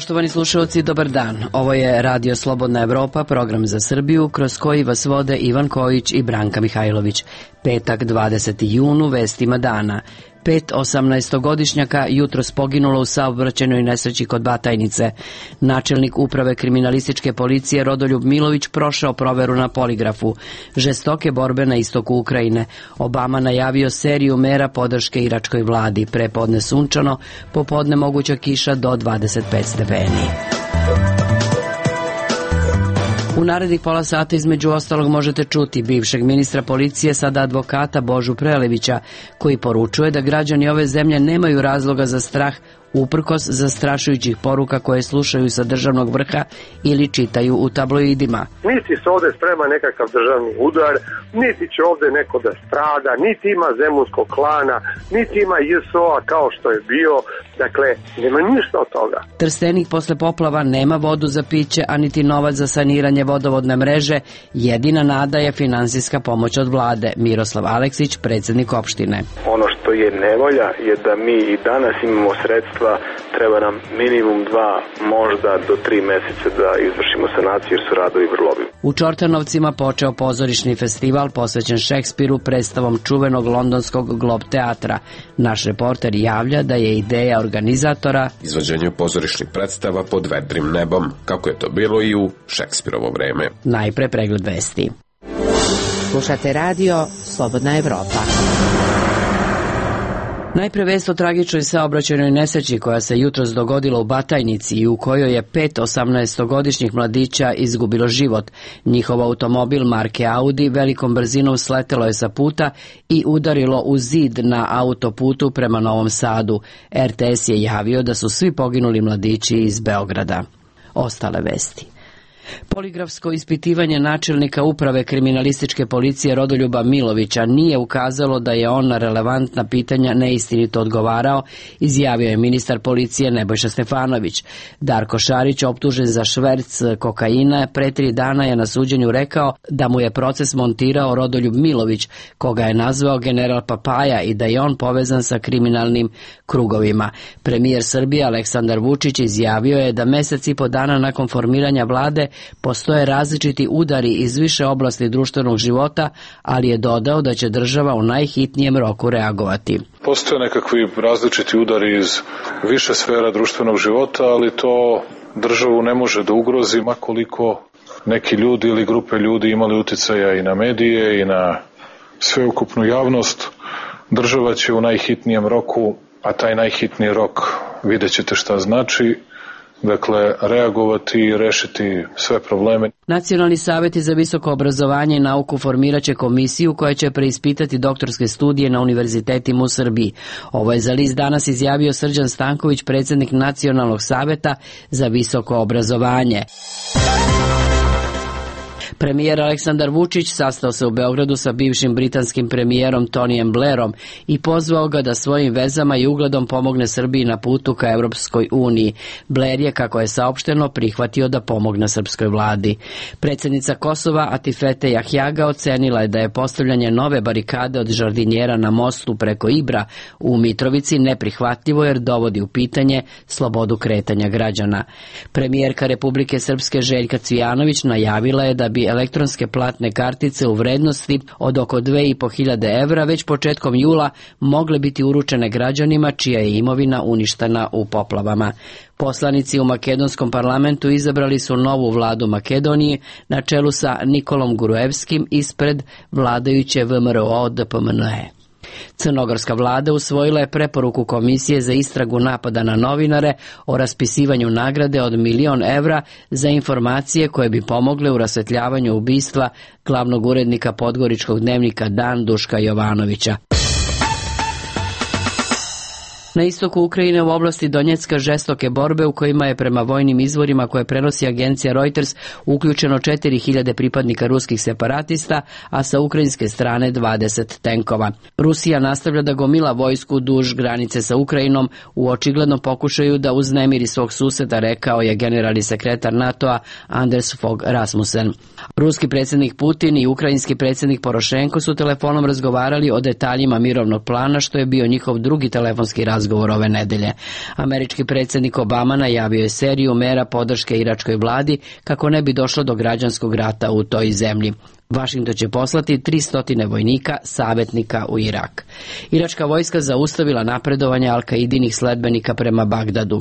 Poštovani slušalci, dobar dan. Ovo je Radio Slobodna Evropa, program za Srbiju, kroz koji vas vode Ivan Kojić i Branka Mihajlović. Petak, 20. junu, vestima dana. 5 18-godišnjaka jutros poginulo u saobraćajnoj nesreći kod Batajnice. Načelnik uprave kriminalističke policije Rodoljub Milović prošao proveru na poligrafu. Žestoke borbe na istoku Ukrajine. Obama najavio seriju mera podrške iračkoj vladi. Prepodne sunčano, popodne moguća kiša do 25 stepeni. U narednih pola sata između ostalog možete čuti bivšeg ministra policije, sada advokata Božu Prelevića, koji poručuje da građani ove zemlje nemaju razloga za strah uprkos zastrašujućih poruka koje slušaju sa državnog vrha ili čitaju u tabloidima. Niti se ovde sprema nekakav državni udar, niti će ovde neko da strada, niti ima zemunskog klana, niti ima JSO-a kao što je bio, dakle, nema ništa od toga. Trstenik posle poplava nema vodu za piće, a niti novac za saniranje vodovodne mreže. Jedina nada je finansijska pomoć od vlade. Miroslav Aleksić, predsjednik opštine. Ono što je nevolja je da mi i danas imamo sredstva, treba nam minimum 2, možda do 3 meseca da izvršimo sanaciju jer su radovi vrlo obimni. U Čortanovcima počeo pozorišni festival posvećen Šekspiru predstavom čuvenog londonskog Glob teatra. Naš reporter javlja da je ideja organizatora izvođenje pozorišnih predstava pod vedrim nebom, kako je to bilo i u Šekspirovo vreme. Najpre pregled vesti. Slušate radio Slobodna Evropa. Najpre vest o tragičnoj saobraćajnoj nesreći koja se jutros dogodila u Batajnici i u kojoj je 5 18-godišnjih mladića izgubilo život. Njihov automobil marke Audi velikom brzinom sletelo je sa puta i udarilo u zid na autoputu prema Novom Sadu. RTS je javio da su svi poginuli mladići iz Beograda. Ostale vesti. Poligrafsko ispitivanje načelnika uprave kriminalističke policije Rodoljuba Milovića nije ukazalo da je on na relevantna pitanja neistinito odgovarao, izjavio je ministar policije Nebojša Stefanović. Darko Šarić, optužen za šverc kokaina, pre 3 dana je na suđenju rekao da mu je proces montirao Rodoljub Milović, koga je nazvao general Papaja i da je on povezan sa kriminalnim krugovima. Premijer Srbije Aleksandar Vučić izjavio je da mesec i po dana nakon formiranja vlade postoje različiti udari iz više oblasti društvenog života, ali je dodao da će država u najhitnijem roku reagovati. Postoje nekakvi različiti udari iz više sfera društvenog života, ali to državu ne može da ugrozi, makoliko neki ljudi ili grupe ljudi imali uticaja i na medije i na sveukupnu javnost. Država će u najhitnijem roku, a taj najhitniji rok vidjet ćete šta znači, dakle, reagovati i rešiti sve probleme. Nacionalni savjeti za visoko obrazovanje i nauku formirat će komisiju koja će preispitati doktorske studije na univerzitetima u Srbiji. Ovo je za list Danas izjavio Srđan Stanković, predsjednik Nacionalnog savjeta za visoko obrazovanje. Premijer Aleksandar Vučić sastao se u Beogradu sa bivšim britanskim premijerom Tonijem Blairom i pozvao ga da svojim vezama i ugledom pomogne Srbiji na putu ka Evropskoj uniji. Blair je, kako je saopšteno, prihvatio da pomogne srpskoj vladi. Predsjednica Kosova Atifete Jahjaga ocenila je da je postavljanje nove barikade od žardinjera na mostu preko Ibra u Mitrovici neprihvatljivo jer dovodi u pitanje slobodu kretanja građana. Premijerka Republike Srpske Željka Cvijanović najavila je da bi elektronske platne kartice u vrednosti od oko 2.500 evra već početkom jula mogle biti uručene građanima čija je imovina uništena u poplavama. Poslanici u makedonskom parlamentu izabrali su novu vladu Makedonije na čelu sa Nikolom Gruevskim ispred vladajuće VMRO DPMNE. Crnogorska vlada usvojila je preporuku Komisije za istragu napada na novinare o raspisivanju nagrade od 1.000.000 evra za informacije koje bi pomogle u rasvetljavanju ubistva glavnog urednika podgoričkog dnevnika Dan Duška Jovanovića. Na istoku Ukrajine u oblasti Donjecka žestoke borbe u kojima je prema vojnim izvorima koje prenosi agencija Reuters uključeno 4.000 pripadnika ruskih separatista, a sa ukrajinske strane 20 tenkova. Rusija nastavlja da gomila vojsku duž granice sa Ukrajinom u očiglednom pokušaju da uznemiri svog suseda, rekao je generalni sekretar NATO-a Anders Fogh Rasmussen. Ruski predsjednik Putin i ukrajinski predsjednik Porošenko su telefonom razgovarali o detaljima mirovnog plana, što je bio njihov drugi telefonski razgovor razgovor ove nedelje. Američki predsjednik Obama najavio je seriju mera podrške iračkoj vladi kako ne bi došlo do građanskog rata u toj zemlji. Washington će poslati 300 vojnika, savjetnika u Irak. Iračka vojska zaustavila napredovanje Al-Kaidinih sledbenika prema Bagdadu.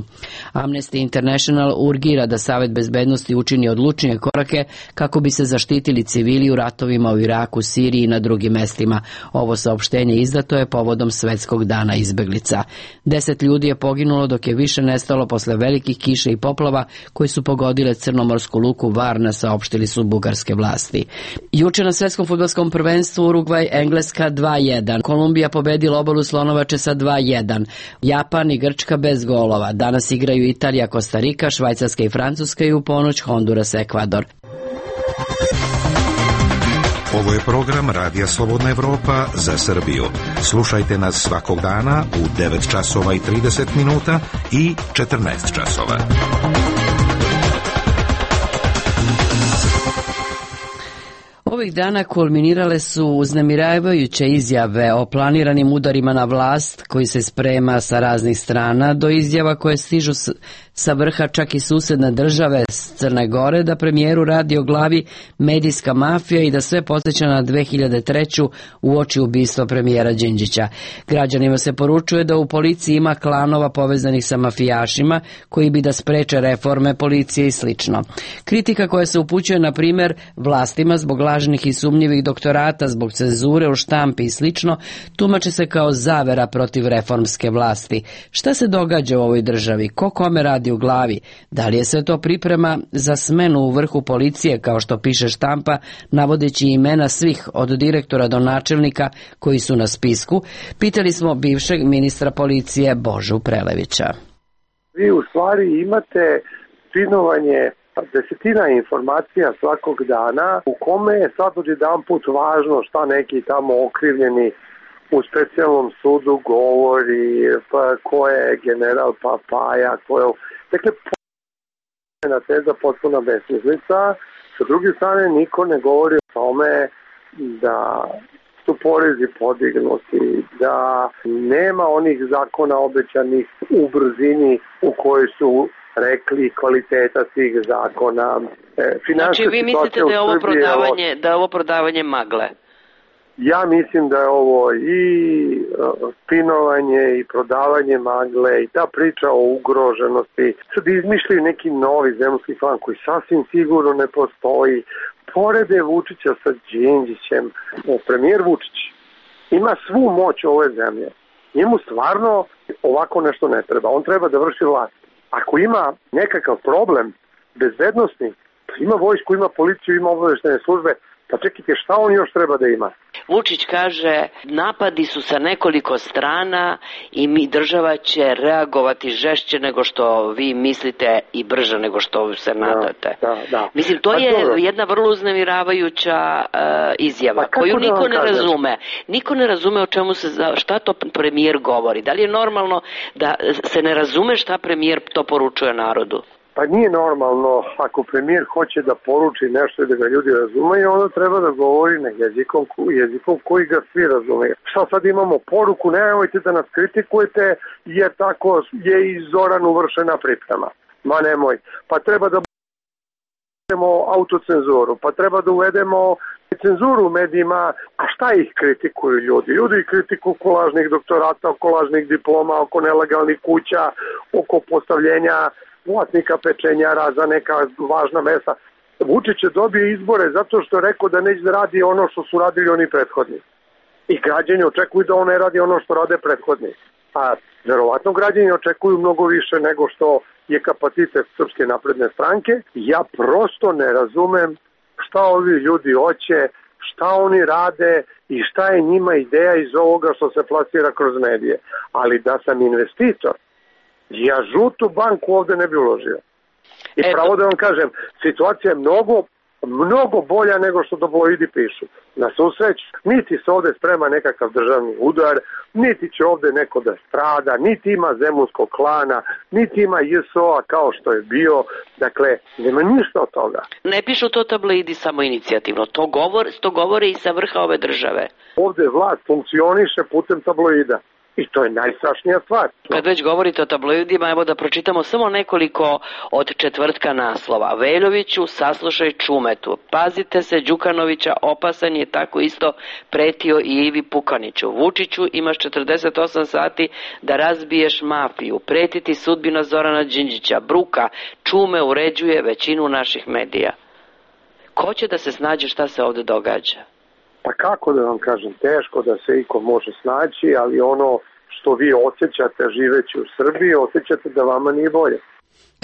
Amnesty International urgira da Savet bezbednosti učini odlučnije korake kako bi se zaštitili civili u ratovima u Iraku, Siriji i na drugim mestima. Ovo saopštenje izdato je povodom Svetskog dana izbeglica. 10 ljudi je poginulo dok je više nestalo posle velikih kiša i poplava koji su pogodile crnomorsku luku Varna, saopštili su bugarske vlasti. Juče na svetskom fudbalskom prvenstvu Urugvaj Engleska 2:1. Kolumbija pobedila Obalu Slonovače sa 2:1. Japan i Grčka bez golova. Danas igraju Italija, Kostarika, Švajcarska i Francuska i u ponoć Honduras, Ekvador. Ovo je program Radija Slobodna Evropa za Srbiju. Slušajte nas svakog dana u 9 časova i 30 minuta i 14 časova. Ovih dana kulminirale su uznemiravajuće izjave o planiranim udarima na vlast koji se sprema sa raznih strana do izjava koje stižu sa vrha čak i susedne države s Crne Gore da premijeru radi o glavi medijska mafija i da sve podsjeća na 2003. uoči ubistva premijera Đinđića. Građanima se poručuje da u policiji ima klanova povezanih sa mafijašima koji bi da spreče reforme policije i slično. Kritika koja se upućuje na primjer vlastima zbog lažnih i sumnjivih doktorata, zbog cenzure u štampi i slično, tumače se kao zavera protiv reformske vlasti. Šta se događa u ovoj državi? Ko kome radi u glavi? Da li je sve to priprema za smenu u vrhu policije, kao što piše štampa, navodeći imena svih od direktora do načelnika koji su na spisku? Pitali smo bivšeg ministra policije Božu Prelevića. Vi u stvari imate spinovanje desetina informacija svakog dana u kome je sad odjedanput važno šta neki tamo okrivljeni u specijalnom sudu govori, pa ko je general Papaja, ko je... Dakle, jedna teza potpuna besmislica. Sa druge strane, niko ne govori o tome da su porezi podignuti, da nema onih zakona obećanih u brzini u kojoj su rekli kvaliteta tih zakona. Znači vi mislite da je ovo prodavanje magle? Ja mislim da je ovo i spinovanje i prodavanje magle i ta priča o ugroženosti. Sad izmišljaju neki novi zemljski klan koji sasvim sigurno ne postoji. Porede Vučića sa Đinđićem, premijer Vučić ima svu moć ove zemlje. Njemu stvarno ovako nešto ne treba. On treba da vrši vlast. Ako ima nekakav problem bezbednosni, ima vojsku, ima policiju, ima obaveštajne službe, pa čekajte, šta on još treba da ima? Vučić kaže, napadi su sa nekoliko strana i država će reagovati žešće nego što vi mislite i brže nego što se nadate. Da. Mislim, to je jedna vrlo uznemiravajuća izjava koju niko ne razume. Niko ne razume o čemu šta to premijer govori. Da li je normalno da se ne razume šta premijer to poručuje narodu? Pa nije normalno, ako premijer hoće da poruči nešto i da ga ljudi razumeju, onda treba da govori na jezikom koji ga svi razumeju. Šta sad imamo poruku, nemojte da nas kritikujete jer tako je i Zoran uvršena priprema. Ma nemoj, pa treba da uvedemo autocenzuru, pa treba da uvedemo cenzuru u medijima, a šta ih kritikuju ljudi? Ljudi ih kritikuju oko lažnih doktorata, oko lažnih diploma, oko nelegalnih kuća, oko postavljenja vlasnika pečenjara za neka važna mesta. Vučić je dobio izbore zato što je rekao da neće da radi ono što su radili oni prethodni. I građani očekuju da on ne radi ono što rade prethodni. A verovatno građani očekuju mnogo više nego što je kapacitet Srpske napredne stranke. Ja prosto ne razumem šta ovi ljudi hoće, šta oni rade i šta je njima ideja iz ovoga što se plasira kroz medije. Ali da sam investitor, ja žutu banku ovde ne bi uložio. I pravo da vam kažem, situacija je mnogo bolja nego što tabloidi pišu. Na svu sreću, niti se ovde sprema nekakav državni udar, niti će ovde neko da strada, niti ima zemunskog klana, niti ima JSO-a kao što je bio. Dakle, nema ništa od toga. Ne pišu to tabloidi samo inicijativno, to govore i sa vrha ove države. Ovde vlast funkcioniše putem tabloida. I to je najstrašnija stvar. Kad već govorite o tabloidima, evo da pročitamo samo nekoliko od četvrtka naslova. Veljoviću, saslušaj Čumetu. Pazite se, Đukanovića opasan je, tako isto pretio i Ivi Pukaniću. Vučiću, imaš 48 sati da razbiješ mafiju. Pretiti sudbina Zorana Đinđića. Bruka, Čume uređuje većinu naših medija. Ko će da se snađe šta se ovde događa? Pa kako da vam kažem, teško da se iko može snaći, ali ono što vi osjećate živeći u Srbiji, osjećate da vama nije bolje.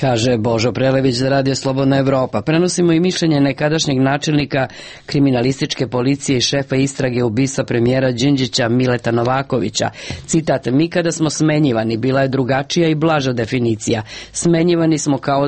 Kaže Božo Prelević za Radio Slobodna Evropa. Prenosimo i mišljenje nekadašnjeg načelnika kriminalističke policije i šefa istrage ubistva premijera Đinđića Mileta Novakovića. Citat: mi kada smo smenjivani, bila je drugačija i blaža definicija. Smenjivani smo kao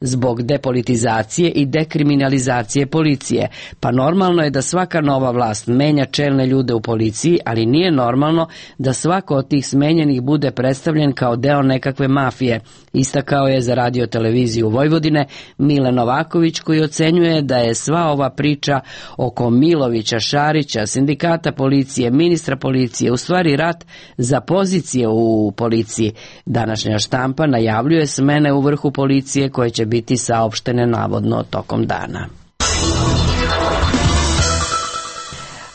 zbog depolitizacije i dekriminalizacije policije. Pa normalno je da svaka nova vlast menja čelne ljude u policiji, ali nije normalno da svako od tih smenjenih bude predstavljen kao deo nekakve mafije. Istakao je za Radio televiziju Vojvodine Mile Novaković, koji ocenjuje da je sva ova priča oko Milovića, Šarića, sindikata policije, ministra policije, u stvari rat za pozicije u policiji. Današnja štampa najavljuje smene u vrhu policije koje će biti saopštene navodno tokom dana.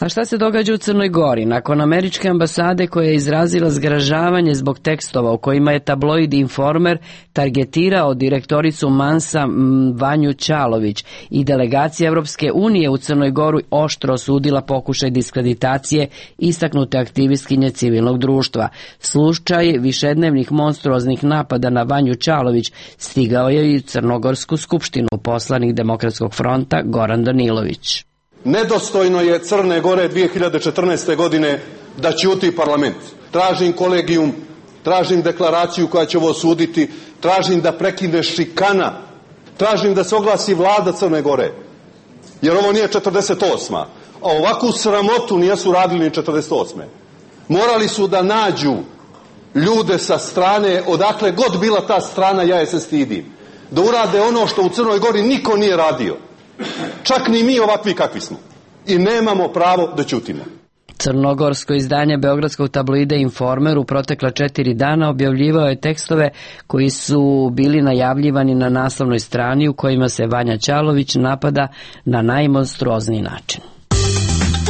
A šta se događa u Crnoj Gori? Nakon američke ambasade koja je izrazila zgražavanje zbog tekstova u kojima je tabloid Informer targetirao direktoricu Mansa Vanju Ćalović i delegacija Evropske unije u Crnoj Goru oštro osudila pokušaj diskreditacije istaknute aktivistkinje civilnog društva. Slučaj višednevnih monstruoznih napada na Vanju Ćalović stigao je i u Crnogorsku skupštinu. Poslanik Demokratskog fronta Goran Danilović. Nedostojno je Crne Gore 2014. godine da ćuti parlament. Tražim kolegijum, tražim deklaraciju koja će ovo osuditi, tražim da prekine šikana, tražim da se oglasi vlada Crne Gore, jer ovo nije 48. A ovakvu sramotu nisu radili ni 48. Morali su da nađu ljude sa strane, odakle god bila ta strana, ja je se stidim, da urade ono što u Crnoj Gori niko nije radio. Čak ni mi ovakvi kakvi smo. I nemamo pravo da ćutimo. Crnogorsko izdanje beogradskog tabloida Informer u protekla 4 dana objavljivao je tekstove koji su bili najavljivani na naslovnoj strani u kojima se Vanja Ćalović napada na najmonstruozniji način.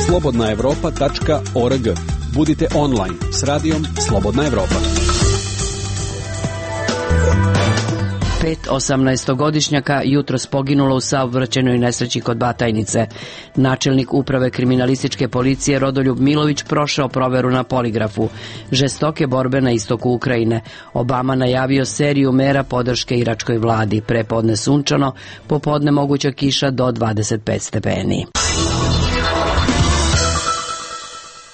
slobodnaevropa.org. Budite online s radijom Slobodna Evropa. 5 18-godišnjaka jutros poginulo u saobraćajnoj nesreći kod Batajnice. Načelnik uprave kriminalističke policije Rodoljub Milović prošao proveru na poligrafu. Žestoke borbe na istoku Ukrajine. Obama najavio seriju mera podrške iračkoj vladi. Prepodne sunčano, popodne moguća kiša do 25 stepeni.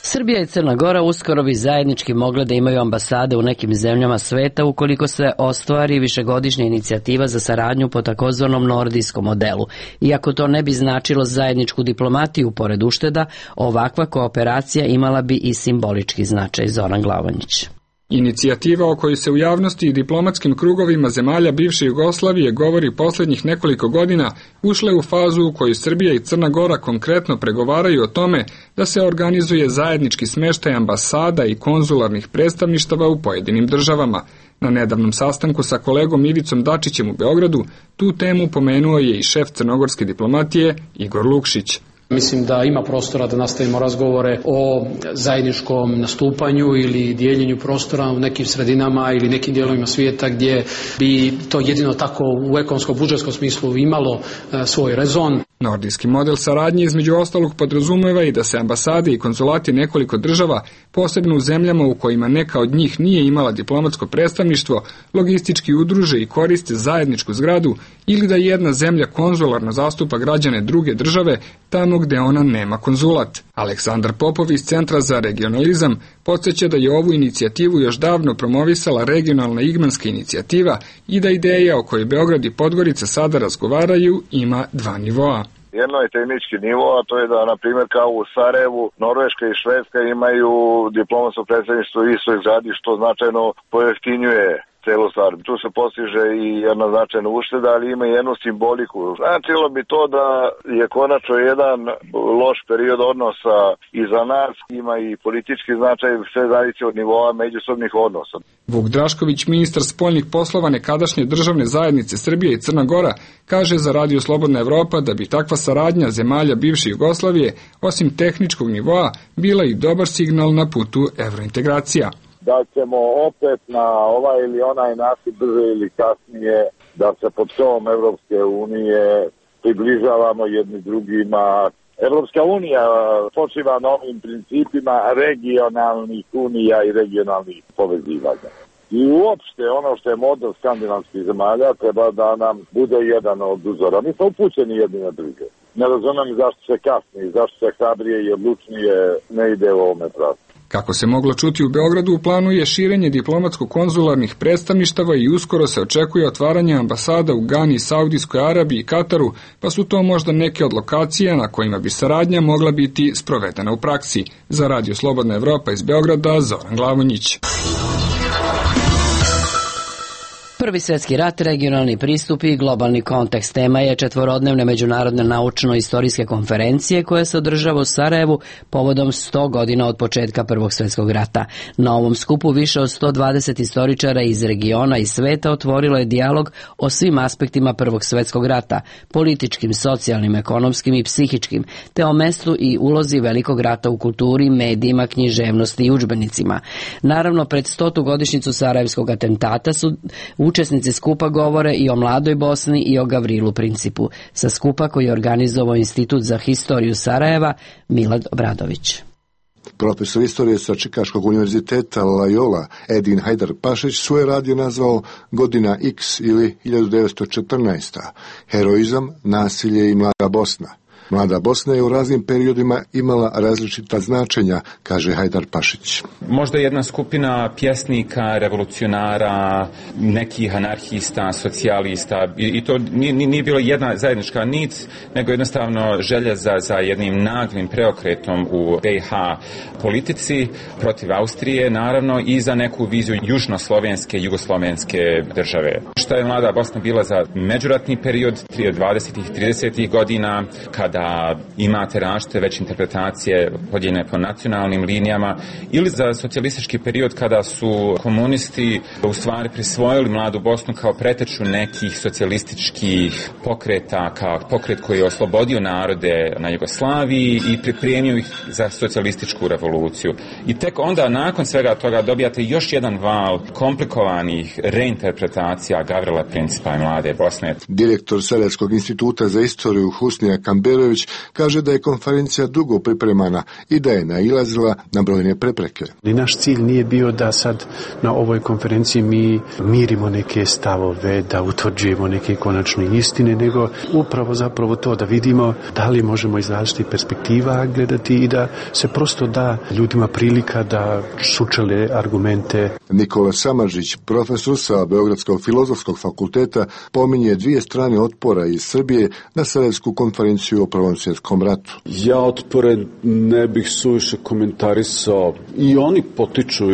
Srbija i Crna Gora uskoro bi zajednički mogle da imaju ambasade u nekim zemljama sveta ukoliko se ostvari višegodišnja inicijativa za saradnju po takozvanom nordijskom modelu. Iako to ne bi značilo zajedničku diplomatiju pored ušteda, ovakva kooperacija imala bi i simbolički značaj. Zoran Glavonjić. Inicijativa o kojoj se u javnosti i diplomatskim krugovima zemalja bivše Jugoslavije govori poslednjih nekoliko godina ušla je u fazu u kojoj Srbija i Crna Gora konkretno pregovaraju o tome da se organizuje zajednički smeštaj ambasada i konzularnih predstavništava u pojedinim državama. Na nedavnom sastanku sa kolegom Ivicom Dačićem u Beogradu tu temu pomenuo je i šef crnogorske diplomatije Igor Lukšić. Mislim da ima prostora da nastavimo razgovore o zajedničkom nastupanju ili dijeljenju prostora u nekim sredinama ili nekim dijelovima svijeta gdje bi to jedino tako u ekonomsko-budžetskom smislu imalo svoj rezon. Nordijski model saradnje između ostalog podrazumeva i da se ambasade i konzulati nekoliko država, posebno u zemljama u kojima neka od njih nije imala diplomatsko predstavništvo, logistički udruže i koriste zajedničku zgradu ili da jedna zemlja konzularno zastupa građane druge države tamo gde ona nema konzulat. Aleksandar Popov iz Centra za regionalizam podsjeća da je ovu inicijativu još davno promovisala regionalna igmanska inicijativa i da ideja o kojoj Beograd i Podgorica sada razgovaraju ima dva nivoa. Jedno je tehnički nivo, a to je da, na primjer, kao u Sarajevu, Norveška i Švedska imaju diplomatsko predstavništvo u istoj zgradi, što značajno pojeftinjuje celu stvar. Tu se postiže i jedna značajna ušteda, ali ima i jednu simboliku. Značilo bi to da je konačno jedan loš period odnosa iza nas, ima i politički značaj, sve zavisi od nivoa međusobnih odnosa. Vuk Drašković, ministar spoljnih poslova nekadašnje državne zajednice Srbije i Crna Gora, kaže za Radio Slobodna Evropa da bi takva saradnja zemalja bivše Jugoslavije, osim tehničkog nivoa, bila i dobar signal na putu evrointegracija. Da ćemo opet na ovaj ili onaj način brže ili kasnije da se pod šovom Evropske unije približavamo jedni drugima. Evropska unija počiva na ovim principima regionalnih unija i regionalnih povezivanja. I uopšte ono što je model skandinavskih zemalja treba da nam bude jedan od uzora. Mi smo upućeni jedni na druge. Ne razumem zašto se kasni, zašto se hrabrije i odlučnije ne ide u ovome pravcu. Kako se moglo čuti u Beogradu, u planu je širenje diplomatsko-konzularnih predstavništava i uskoro se očekuje otvaranje ambasada u Gani, Saudijskoj Arabiji i Kataru, pa su to možda neke od lokacija na kojima bi saradnja mogla biti sprovedena u praksi. Za Radio Slobodna Evropa iz Beograda, Zoran Glavonjić. Prvi svjetski rat, regionalni pristup i globalni kontekst tema je četvorodnevne međunarodne naučno-istorijske konferencije koja se održava u Sarajevu povodom 100 godina od početka Prvog svjetskog rata. Na ovom skupu više od 120 istoričara iz regiona i sveta otvorilo je dijalog o svim aspektima Prvog svjetskog rata, političkim, socijalnim, ekonomskim i psihičkim, te o mestu i ulozi Velikog rata u kulturi, medijima, književnosti i udžbenicima. Naravno, pred 100. godišnjicu Sarajevskog atentata su učesnici skupa govore i o mladoj Bosni i o Gavrilu Principu. Sa skupa koji je organizovao Institut za historiju Sarajeva, Milad Obradović. Profesor istorije sa Čikaškog univerziteta Loyola Edin Hajdar-Pašić svoje radio nazvao Godina X ili 1914. Heroizam, nasilje i mlada Bosna. Mlada Bosna je u raznim periodima imala različita značenja, kaže Hajdar-Pašić. Možda jedna skupina pjesnika, revolucionara, nekih anarhista, socijalista, i to nije bilo jedna zajednička nic, nego jednostavno želja za jednim naglim preokretom u BiH politici protiv Austrije, naravno, i za neku viziju južnoslovenske, jugoslovenske države. Šta je mlada Bosna bila za međuratni period 20. i 30. godina, kada imate različite već interpretacije podijeljene po nacionalnim linijama, ili za socijalistički period kada su komunisti u stvari prisvojili mladu Bosnu kao preteču nekih socijalističkih pokreta, kao pokret koji je oslobodio narode na Jugoslaviji i pripremio ih za socijalističku revoluciju. I tek onda nakon svega toga dobijate još jedan val komplikovanih reinterpretacija Gavrila Principa i mlade Bosne. Direktor Sarajevskog instituta za istoriju Husnija Kamberović kaže da je konferencija dugo pripremana i da je nailazila na brojne prepreke. Naš cilj nije bio da sad na ovoj konferenciji mi mirimo neke stavove, da utvrđujemo neke konačne istine, nego upravo zapravo to da vidimo da li možemo iz različitih perspektiva gledati i da se prosto da ljudima prilika da sučele argumente. Nikola Samardžić, profesor sa Beogradskog filozofskog fakulteta, pominje dvije strane otpora iz Srbije na Sarajevsku konferenciju o Prvom svjetskom ratu. Ja otpore ne bih suviše komentarisao. I oni potiču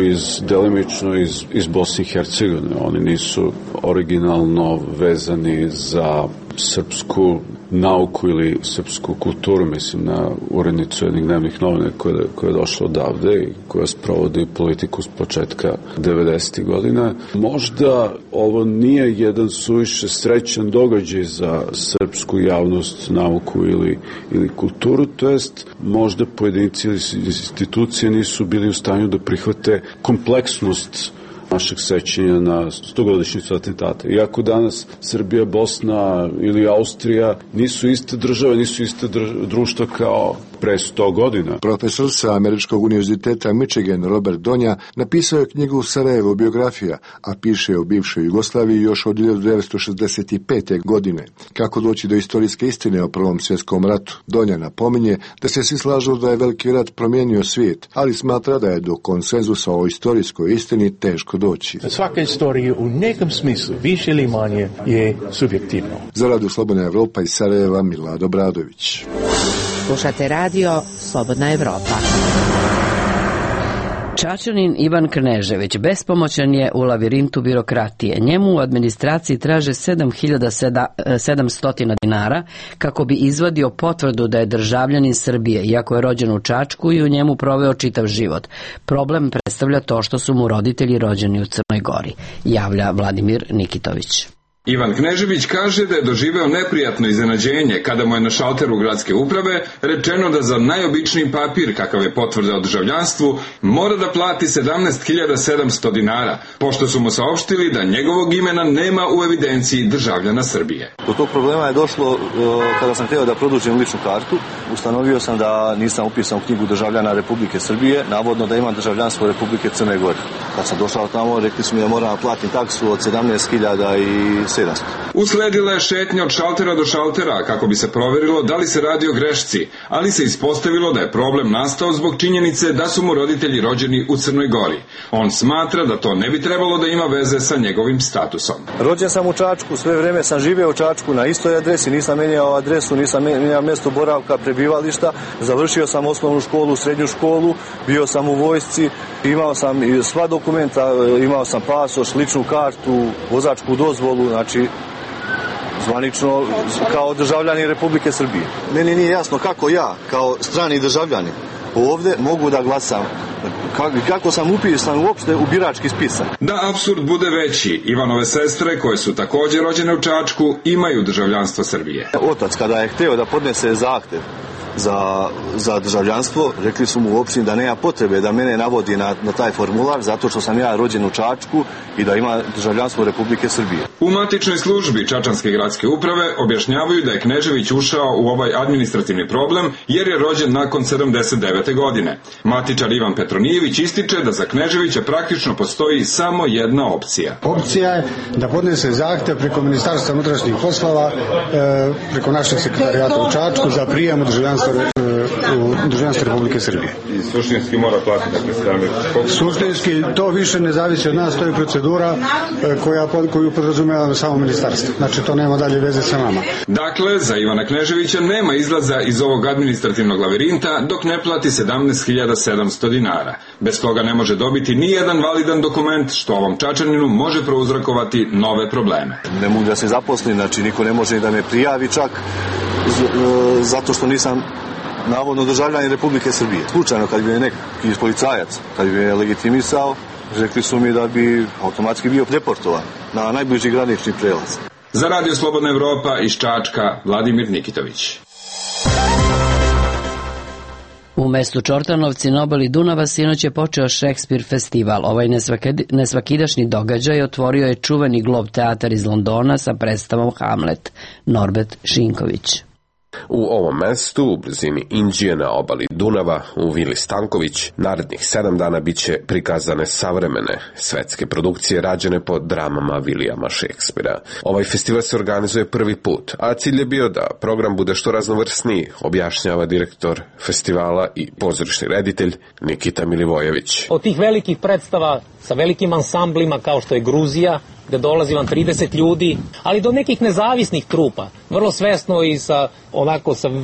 delimično iz Bosne i Hercegovine. Oni nisu originalno vezani za srpsku nauku ili srpsku kulturu, mislim na urednicu jednih dnevnih novina koja je došla odavde i koja sprovodi politiku s početka 90. godina. Možda ovo nije jedan suviše srećan događaj za srpsku javnost, nauku ili kulturu, to jest možda pojedinci ili institucije nisu bili u stanju da prihvate kompleksnost našeg sećanja na 100-godišnjicu atentata. Iako danas Srbija, Bosna ili Austrija nisu iste države, nisu iste društva kao pre 100 godina. Profesor sa Američkog univerziteta Michigan Robert Donja napisao je knjigu Sarajevo biografija, a piše o bivšoj Jugoslaviji još od 1965. godine. Kako doći do istorijske istine o Prvom svjetskom ratu? Donja napominje da se svi slažu da je Veliki rat promijenio svijet, ali smatra da je do konsenzusa o istorijskoj istini teško doći. Svaka istorija u nekom smislu, više ili manje, je subjektivno. Za Radio Slobodna Evropa iz Sarajeva, Milad Obradović. Slušate radio Slobodna Evropa. Čačanin Ivan Knežević bespomoćan je u lavirintu birokratije. Njemu u administraciji traže 7.700 dinara kako bi izvadio potvrdu da je državljanin Srbije, iako je rođen u Čačku i u njemu proveo čitav život. Problem predstavlja to što su mu roditelji rođeni u Crnoj Gori, javlja Vladimir Nikitović. Ivan Knežević kaže da je doživeo neprijatno iznenađenje kada mu je na šalteru gradske uprave rečeno da za najobičniji papir, kakav je potvrda o državljanstvu, mora da plati 17.700 dinara, pošto su mu saopštili da njegovog imena nema u evidenciji državljana Srbije. Do tog problema je došlo kada sam htio da produžim ličnu kartu. Ustanovio sam da nisam upisan u knjigu državljana Republike Srbije, navodno da imam državljanstvo Republike Crne Gore. Kad sam došao tamo, rekli su mi da moram platiti taksu od 17.700. Usledila je šetnja od šaltera do šaltera kako bi se proverilo da li se radi o grešci, ali se ispostavilo da je problem nastao zbog činjenice da su mu roditelji rođeni u Crnoj Gori. On smatra da to ne bi trebalo da ima veze sa njegovim statusom. Rođen sam u Čačku, sve vreme sam živeo u Čačku na istoj adresi, nisam menjao adresu, nisam menjao mesto boravka, prebivališta, završio sam osnovnu školu, srednju školu, bio sam u vojsci, imao sam sva dokumenta, imao sam pasoš, ličnu kartu, vozačku dozvolu, znači zvanično kao državljanin Republike Srbije. Meni nije jasno kako ja, kao strani državljanin, ovde mogu da glasam. Kako sam upisan uopšte u birački spisak. Da apsurd bude veći, Ivanove sestre, koje su također rođene u Čačku, imaju državljanstvo Srbije. Otac, kada je hteo da podnese zahtev za državljanstvo, rekli su mu u opštini da nema potrebe da mene navodi na taj formular, zato što sam ja rođen u Čačku i da ima državljanstvo Republike Srbije. U matičnoj službi Čačanske gradske uprave objašnjavaju da je Knežević ušao u ovaj administrativni problem jer je rođen nakon 79. godine. Matičar Ivan Petronijević ističe da za Kneževića praktično postoji samo jedna opcija. Opcija je da podnese zahtev preko Ministarstva unutrašnjih poslova, preko našeg sekretarijata u Čačku za prijem u državljanstvo Republike Srbije. I suštinski mora platiti Suštinski to više ne zavisi od nas, to je procedura koju podrazumeva samo ministarstvo. Znači to nema dalje veze sa nama. Dakle, za Ivana Kneževića nema izlaza iz ovog administrativnog lavirinta dok ne plati 17.700 dinara. Bez toga ne može dobiti ni jedan validan dokument što ovom Čačaninu može prouzrokovati nove probleme. Ne mogu da se zaposlim, znači niko ne može da me prijavi čak zato što nisam navodno državljanin Republike Srbije. Slučajno kad bi me neki policajac, kad bi me legitimisao, rekli su mi da bi automatski bio deportovan na najbliži granični prelaz. Za Radio Slobodna Evropa iz Čačka, Vladimir Nikitović. U mestu Čortanovci na obali Dunava sinoć je počeo Šekspir festival. Ovaj nesvakidašnji događaj otvorio je čuveni Glob teatar iz Londona sa predstavom Hamlet. Norbert Šinković. U ovom mestu, u blizini Inđije na obali Dunava, u Vili Stanković, narednih 7 dana biće prikazane savremene svetske produkcije rađene po dramama Vilijama Šekspira. Ovaj festival se organizuje prvi put, a cilj je bio da program bude što raznovrsniji, objašnjava direktor festivala i pozorišni reditelj Nikita Milivojević. Od tih velikih predstava sa velikim ansamblima kao što je Gruzija, gde dolazi vam 30 ljudi, ali do nekih nezavisnih trupa, vrlo svesno i sa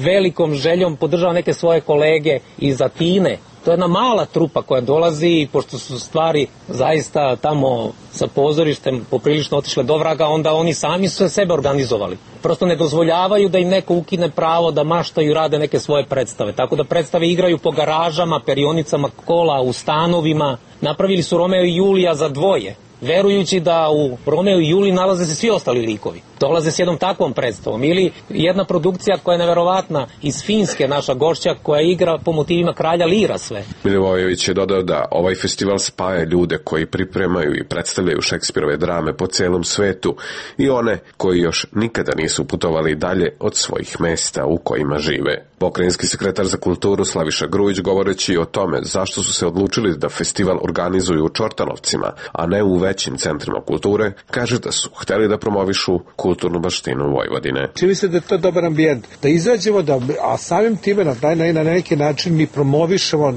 velikom željom podržava neke svoje kolege iz Atine. To je jedna mala trupa koja dolazi i pošto su stvari zaista tamo sa pozorištem poprilično otišle do vraga, onda oni sami su sebe organizovali. Prosto ne dozvoljavaju da im neko ukine pravo da maštaju i rade neke svoje predstave. Tako da predstave igraju po garažama, perionicama kola, u stanovima. Napravili su Romeo i Julija za dvoje, verujući da u Romeo i Juliji nalaze se svi ostali likovi. Dolaze s jednom takvom predstavom. Ili jedna produkcija koja je neverovatna iz Finske, naša gošća, koja igra po motivima kralja Lira sve. Milivojević je dodao da ovaj festival spaja ljude koji pripremaju i predstavljaju Šekspirove drame po celom svetu i one koji još nikada nisu putovali dalje od svojih mesta u kojima žive. Pokrajinski sekretar za kulturu Slaviša Grujić, govoreći o tome zašto su se odlučili da festival organizuju u Čortanovcima, a ne u većim centrima kulture, kaže da su hteli da promovišu kulturnu baštinu Vojvodine. Čini se da je to dobar ambijent, da izađemo, a samim time na neki način mi promovišemo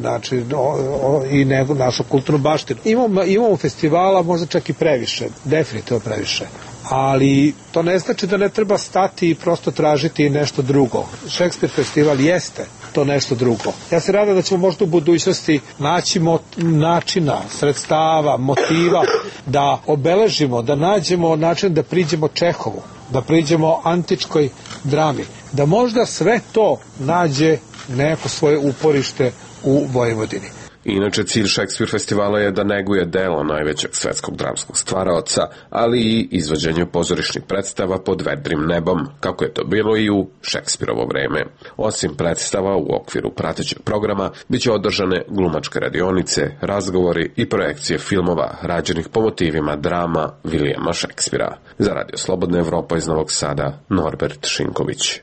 i našu kulturnu baštinu. Imamo festivala možda čak i previše, definitivno previše. Ali to ne znači da ne treba stati i prosto tražiti nešto drugo. Šekspir festival jeste to nešto drugo. Ja se nadam da ćemo možda u budućnosti naći načina, sredstava, motiva da obeležimo, da nađemo način da priđemo Čehovu, da priđemo antičkoj drami, da možda sve to nađe neko svoje uporište u Vojvodini. Inače, cilj Šekspir festivala je da neguje delo najvećeg svetskog dramskog stvaraoca, ali i izvođenje pozorišnih predstava pod vedrim nebom, kako je to bilo i u Šekspirovo vreme. Osim predstava u okviru pratećeg programa, biće održane glumačke radionice, razgovori i projekcije filmova rađenih po motivima drama Vilijama Šekspira. Za Radio Slobodna Evropa iz Novog Sada, Norbert Šinković.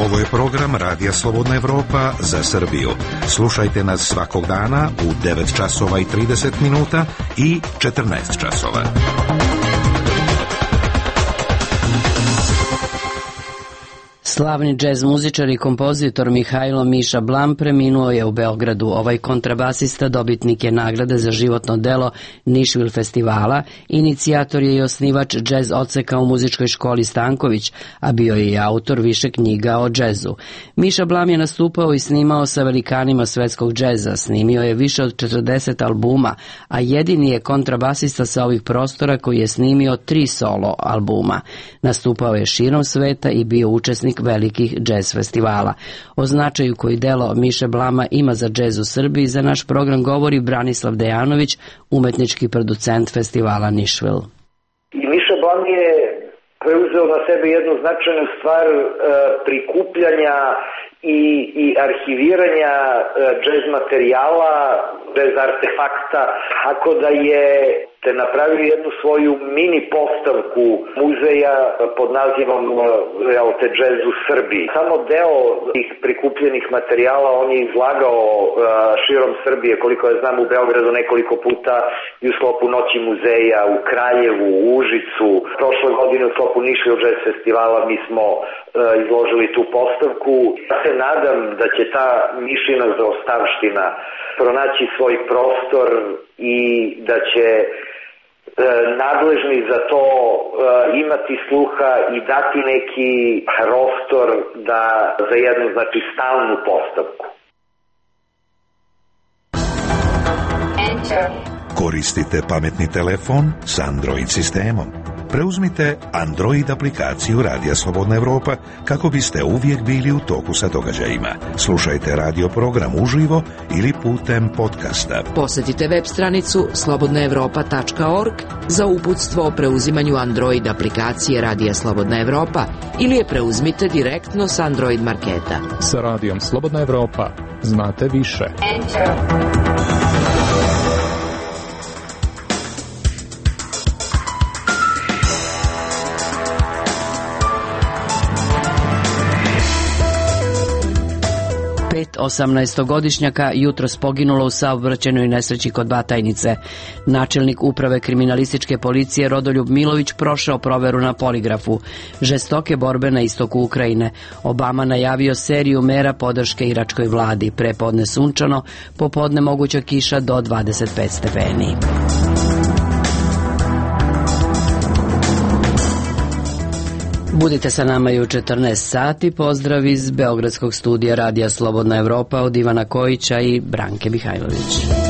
Ovo je program Radija Slobodna Evropa za Srbiju. Slušajte nas svakog dana u 9 časova i 30 minuta i 14 časova. Slavni džez muzičar i kompozitor Mihajlo Miša Blam preminuo je u Beogradu. Ovaj kontrabasista dobitnik je nagrade za životno delo Nišvil festivala, inicijator je i osnivač džez odseka u muzičkoj školi Stanković, a bio je i autor više knjiga o džezu. Miša Blam je nastupao i snimao sa velikanima svetskog džeza, snimio je više od 40 albuma, a jedini je kontrabasista sa ovih prostora koji je snimio 3 solo albuma. Nastupao je širom sveta i bio učesnik velikih džez festivala. O značaju koji delo Miše Blama ima za džez u Srbiji za naš program govori Branislav Dejanović, umetnički producent festivala Nišvil. Miša Blam je preuzeo na sebe jednu značajnu stvar prikupljanja i arhiviranja džez materijala, džez artefakta, tako da je napravio jednu svoju mini postavku muzeja pod nazivom te džez u Srbiji. Samo deo tih prikupljenih materijala on je izlagao širom Srbije, koliko ja znam u Beogradu nekoliko puta i u sklopu Noći muzeja, u Kraljevu, u Užicu. Prošle godine u sklopu Nišvil džez festivala mi smo izložili tu postavku. Ja se nadam da će ta Mišina zaostavština pronaći svoj prostor i da će nadležni za to imati sluha i dati neki prostor za jednu, stalnu postavku. Koristite pametni telefon s Android sistemom. Preuzmite Android aplikaciju Radija Slobodna Evropa kako biste uvijek bili u toku sa događajima. Slušajte radio program uživo ili putem podcasta. Posjetite web stranicu slobodnaevropa.org za uputstvo o preuzimanju Android aplikacije Radija Slobodna Evropa ili je preuzmite direktno s Android marketa. Sa Radijom Slobodna Evropa znate više. Enter. 18-godišnjaka jutros poginulo u saobraćajnoj nesreći kod Batajnice. Načelnik uprave kriminalističke policije Rodoljub Milović prošao proveru na poligrafu. Žestoke borbe na istoku Ukrajine. Obama najavio seriju mera podrške iračkoj vladi. Prepodne sunčano, popodne moguća kiša do 25 stepeni. Budite sa nama i u 14 sati. Pozdrav iz Beogradskog studija Radija Slobodna Evropa od Ivana Kojića i Branke Mihajlović.